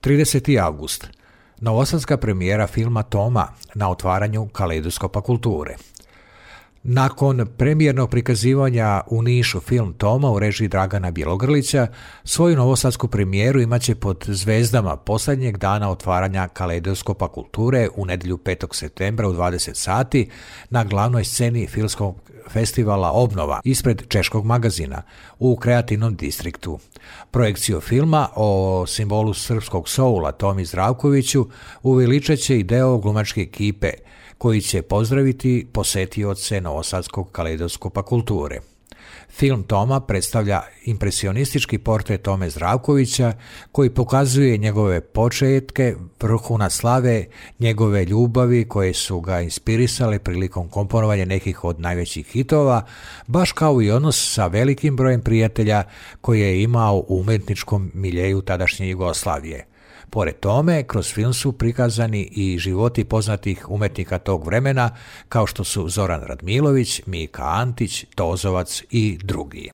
30. august. Novosadska premijera filma Toma na otvaranju Kaleidoskopa kulture. Nakon premijernog prikazivanja u Nišu film Toma u režiji Dragana Bjelogrlića, svoju novosadsku premijeru imaće pod zvezdama posljednjeg dana otvaranja Kaleidoskopa kulture u nedjelju 5. septembra u 20 sati na glavnoj sceni filmskog festivala Obnova ispred Češkog magazina u kreativnom distriktu. Projekciju filma o simbolu srpskog soula Tomi Zdravkoviću uveličat će i deo glumačke ekipe koji će pozdraviti posetioce Novosadskog Kaleidoskopa kulture. Film Toma predstavlja impresionistički portret Tome Zdravkovića koji pokazuje njegove početke, vrhunac slave, njegove ljubavi koje su ga inspirisale prilikom komponovanja nekih od najvećih hitova, baš kao i odnos sa velikim brojem prijatelja koje je imao u umjetničkom miljeju tadašnje Jugoslavije. Pored tome, kroz film su prikazani i životi poznatih umjetnika tog vremena, kao što su Zoran Radmilović, Mika Antić, Tozovac i drugi.